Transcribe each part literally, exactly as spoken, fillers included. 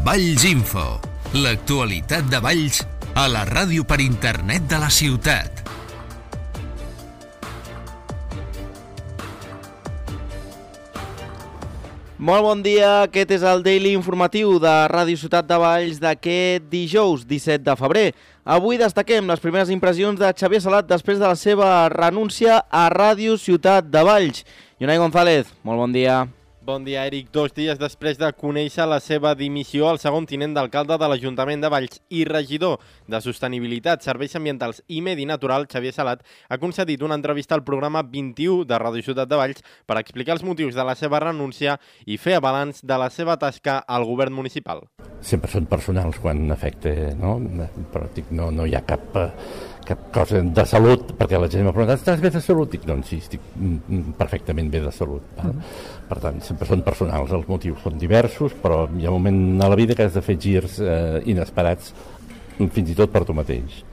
Valls Info, l'actualitat de Valls a la ràdio per internet de la ciutat. Molt bon dia, aquest és el Daily Informatiu de Ràdio Ciutat de Valls d'aquest dijous disset de febrer. Avui destaquem les primeres impressions de Xavier Salat després de la seva renúncia a Ràdio Ciutat de Valls. Iunai González, molt bon dia. Bon dia, Eric. Dos dies després de conèixer la seva dimissió, el segon tinent d'alcalde de l'Ajuntament de Valls i regidor de Sostenibilitat, Serveis Ambientals i Medi Natural, Xavier Salat, ha concedit una entrevista al programa vint-i-u de Ràdio Ciutat de Valls per explicar els motius de la seva renúncia i fer balanç de la seva tasca al govern municipal. Sempre són personals quan afecta, no? Però dic, no, no hi ha cap... cap cosa de salut, perquè la gent m'ha preguntat, estàs bé de salut? Dic, doncs sí, estic perfectament bé de salut. Mm. Per tant, sempre són personals, els motius són diversos, però hi ha un moment a la vida que has de fer girs eh, inesperats, fins i tot per tu mateix.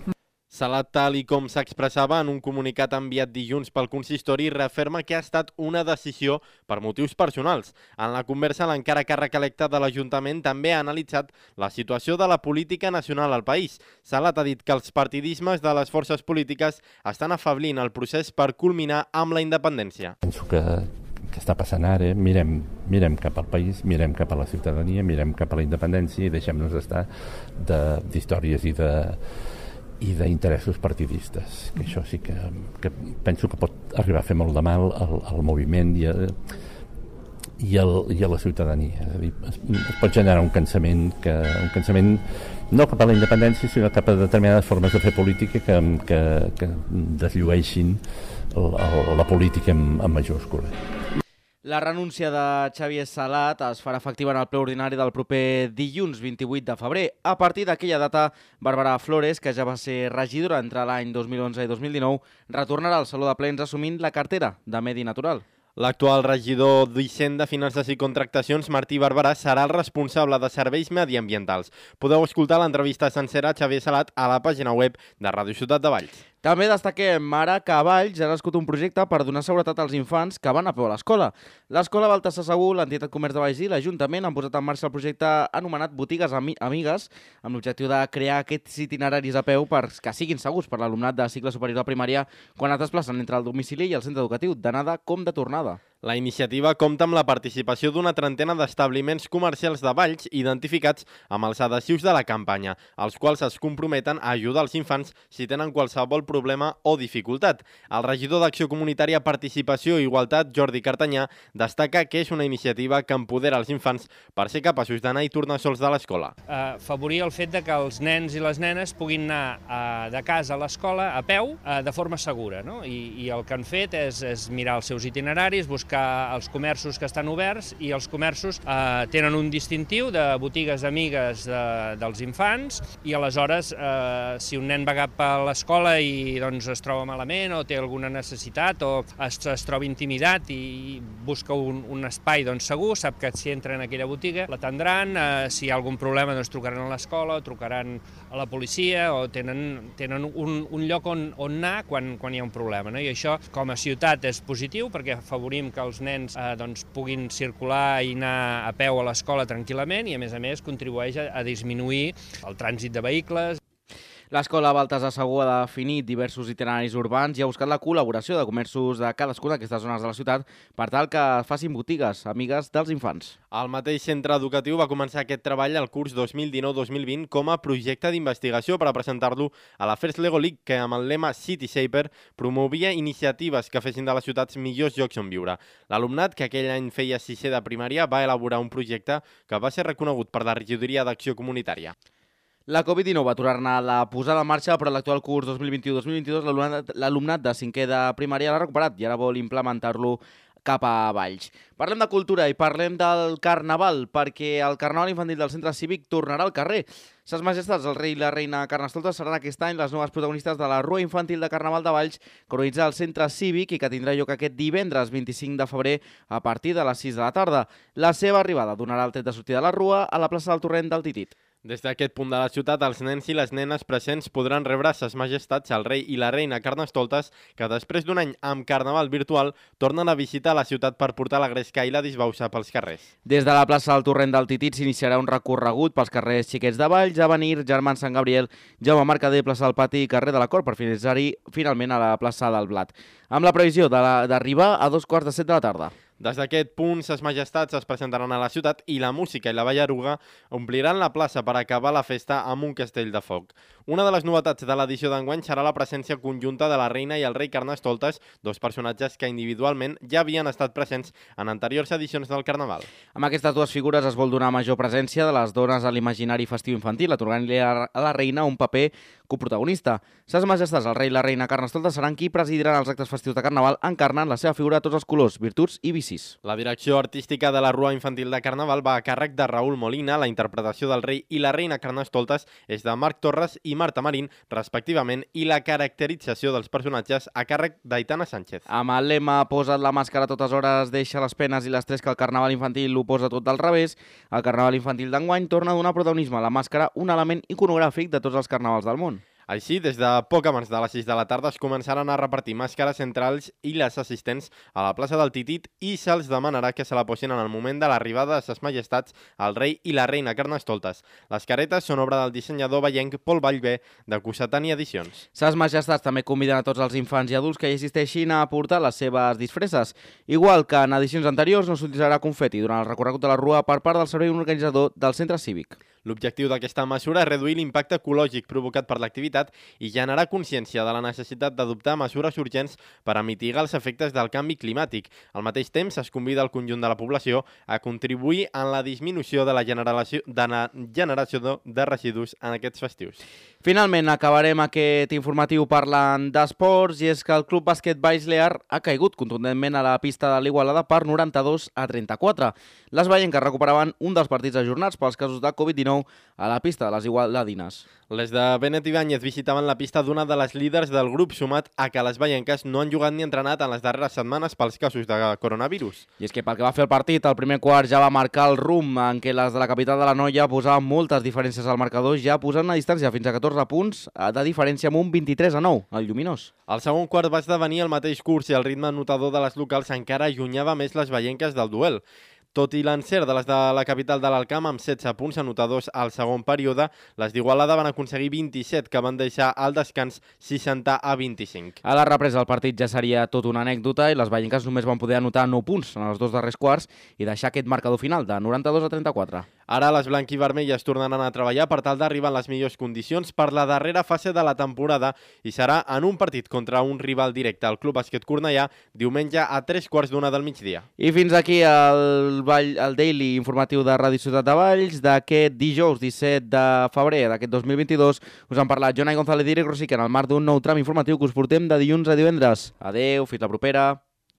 Salat, tal i com s'expressava en un comunicat enviat dilluns pel consistori, referma que ha estat una decisió per motius personals. En la conversa, l'encara càrrec electe de l'Ajuntament també ha analitzat la situació de la política nacional al país. Salat ha dit que els partidismes de les forces polítiques estan afablint el procés per culminar amb la independència. Penso que que està passant ara, mirem, mirem cap al país, mirem cap a la ciutadania, mirem cap a la independència i deixem-nos estar d'històries i de i d'interessos partidistes, que això sí que, que penso que pot arribar a fer molt de mal al, al moviment i a, i, al, i a la ciutadania. És a dir, es, es pot generar un cansament, que, un cansament no cap a la independència, sinó cap a determinades formes de fer política que, que, que desllueixin el, el, la política en, en majúscula. La renúncia de Xavier Salat es farà efectiva en el ple ordinari del proper dilluns vint-i-vuit de febrer. A partir d'aquella data, Bàrbara Flores, que ja va ser regidora entre l'any dos mil onze i dos mil dinou, retornarà al Saló de Plens assumint la cartera de Medi Natural. L'actual regidor d'Hisenda, Finances i Contractacions, Martí Barberà, serà el responsable de serveis mediambientals. Podeu escoltar l'entrevista sencera a Xavier Salat a la pàgina web de Ràdio Ciutat de Valls. També destaquem ara que a Valls ha nascut un projecte per donar seguretat als infants que van a peu a l'escola. L'Escola Baltasar Segur, l'entitat Comerç de Valls i l'Ajuntament han posat en marxa el projecte anomenat Botigues Ami Amigues, amb l'objectiu de crear aquests itineraris a peu per que siguin segurs per l'alumnat de cicle superior a primària quan es desplacen entre el domicili i el centre educatiu, d'anada com de tornada. La iniciativa compta amb la participació d'una trentena d'establiments comercials de Valls identificats amb els adhesius de la campanya, els quals es comprometen a ajudar els infants si tenen qualsevol problema o dificultat. El regidor d'Acció Comunitària, Participació i Igualtat, Jordi Cartanyà, destaca que és una iniciativa que empodera els infants per ser capaços d'anar i tornar sols de l'escola. Uh, favorir el fet de que els nens i les nenes puguin anar uh, de casa a l'escola a peu uh, de forma segura, no? I, i el que han fet és, és mirar els seus itineraris, buscar els comerços que estan oberts i els comerços eh, tenen un distintiu de botigues amigues de, dels infants i aleshores eh, si un nen va cap a l'escola i doncs, es troba malament o té alguna necessitat o es, es troba intimidat i busca un, un espai doncs, segur, sap que si entra en aquella botiga l'atendran, eh, si hi ha algun problema doncs, trucaran a l'escola, trucaran a la policia o tenen, tenen un, un lloc on, on anar quan, quan hi ha un problema, no? I això com a ciutat és positiu perquè afavorim que els nens eh, doncs, puguin circular i anar a peu a l'escola tranquil·lament i, a més a més, contribueix a, a disminuir el trànsit de vehicles. L'Escola Baltasar Segur ha definit diversos itineraris urbans i ha buscat la col·laboració de comerços de cadascuna d'aquestes zones de la ciutat per tal que facin botigues amigues dels infants. El mateix centre educatiu va començar aquest treball al curs dos mil dinou dos mil vint com a projecte d'investigació per a presentar-lo a la First Lego League, que amb el lema City Shaper promovia iniciatives que fessin de les ciutats millors llocs on viure. L'alumnat, que aquell any feia sisè de primària, va elaborar un projecte que va ser reconegut per la regidoria d'Acció Comunitària. La Covid dinou va aturar-ne la posada en marxa, però l'actual curs dos mil vint-i-u dos mil vint-i-dos l'alumnat de cinquè de primària l'ha recuperat i ara vol implementar-lo cap a Valls. Parlem de cultura i parlem del Carnaval, perquè el Carnaval Infantil del Centre Cívic tornarà al carrer. Ses Majestats, el rei i la reina Carnestoltes seran aquest any les noves protagonistes de la Rua Infantil de Carnaval de Valls, que organitza el Centre Cívic i que tindrà lloc aquest divendres vint-i-cinc de febrer a partir de les sis de la tarda. La seva arribada donarà el tret de sortida de la Rua a la plaça del Torrent del Titit. Des d'aquest punt de la ciutat, els nens i les nenes presents podran rebre ses majestats, el rei i la reina Carnestoltes, que després d'un any amb carnaval virtual tornen a visitar la ciutat per portar la gresca i la disbauxa pels carrers. Des de la plaça del Torrent del Titit s'iniciarà un recorregut pels carrers Xiquets de Valls, Avenir, Germans Sant Gabriel, Jaume Mercader, plaça del Pati i carrer de la Cort, per finalitzar-hi finalment a la plaça del Blat, amb la previsió d'arribar a dos quarts de set de la tarda. Des d'aquest punt, ses majestats es presentaran a la ciutat i la música i la ballaruga ompliran la plaça per acabar la festa amb un castell de foc. Una de les novetats de l'edició d'enguany serà la presència conjunta de la reina i el rei Carnestoltes, dos personatges que individualment ja havien estat presents en anteriors edicions del Carnaval. Amb aquestes dues figures es vol donar major presència de les dones a l'imaginari festiu infantil, atorgant-li a la reina un paper coprotagonista. Ses majestats, el rei i la reina Carnestoltes, seran qui presidiran els actes festius de Carnaval, encarnant la seva figura a tots els colors, virtuts i vicis. La direcció artística de la Rua Infantil de Carnaval va a càrrec de Raül Molina, la interpretació del rei i la reina Carnestoltes és de Marc Torres i Marta Marín, respectivament, i la caracterització dels personatges a càrrec d'Aitana Sánchez. Amb el lema "Posa't la màscara a totes hores, deixa les penes i l'estrès que el Carnaval infantil ho posa tot del revés", el Carnaval infantil d'enguany torna a donar protagonisme a la màscara, un element iconogràfic de tots els carnavals del món. Així, des de poc abans de les sis de la tarda es començaran a repartir màscares entre els i les assistents a la plaça del Titit i se'ls demanarà que se la posin en el moment de l'arribada de ses majestats, el rei i la reina Carnestoltes. Les caretes són obra del dissenyador vallenc Pol Vallvé, de Cossetani Edicions. Ses majestats també conviden a tots els infants i adults que hi assisteixin a portar les seves disfresses. Igual que en edicions anteriors, no s'utilitzarà confeti durant el recorregut de la Rua per part del servei organitzador del centre cívic. L'objectiu d'aquesta mesura és reduir l'impacte ecològic provocat per l'activitat i generar consciència de la necessitat d'adoptar mesures urgents per a mitigar els efectes del canvi climàtic. Al mateix temps, es convida el conjunt de la població a contribuir en la disminució de la generació de, la generació de residus en aquests festius. Finalment, acabarem aquest informatiu parlant d'esports, i és que el Club Bàsquet Valls Lear ha caigut contundentment a la pista de l'Igualada per noranta-dos a trenta-quatre. Les vallenques recuperaven un dels partits ajornats pels casos de Covid dinou a la pista de les igualadines. Les de Benet Ibáñez visitaven la pista d'una de les líders del grup, sumat a que les vallenques no han jugat ni entrenat en les darreres setmanes pels casos de coronavirus. I és que pel que va fer el partit, el primer quart ja va marcar el rumb en què les de la capital de l'Anoia posaven moltes diferències al marcador, ja posant una distància fins a catorze punts de diferència amb un vint-i-tres a nou, el Lluminós. El segon quart va esdevenir el mateix curs i el ritme anotador de les locals encara allunyava més les vallenques del duel. Tot i l'encert de les de la capital de l'Alcamp amb setze punts anotadors al segon període, les d'Igualada van aconseguir vint-i-set, que van deixar al descans seixanta a vint-i-cinc. A la represa el partit ja seria tot una anècdota i les vallenques només van poder anotar nou punts en els dos darrers quarts i deixar aquest marcador final de noranta-dos a trenta-quatre. Ara les blanc-i-vermelles tornaran a treballar per tal d'arribar en les millors condicions per la darrera fase de la temporada i serà en un partit contra un rival directe, el Club Bàsquet Cornellà, diumenge a tres quarts d'una del migdia. I fins aquí el, Vall, el Daily informatiu de Ràdio Ciutat de Valls d'aquest dijous disset de febrer d'aquest dos mil vint-i-dos. Us han parlat Jonai González i Eric Rosique en el marc d'un nou tram informatiu que us portem de dilluns a divendres. Adeu, fins la propera.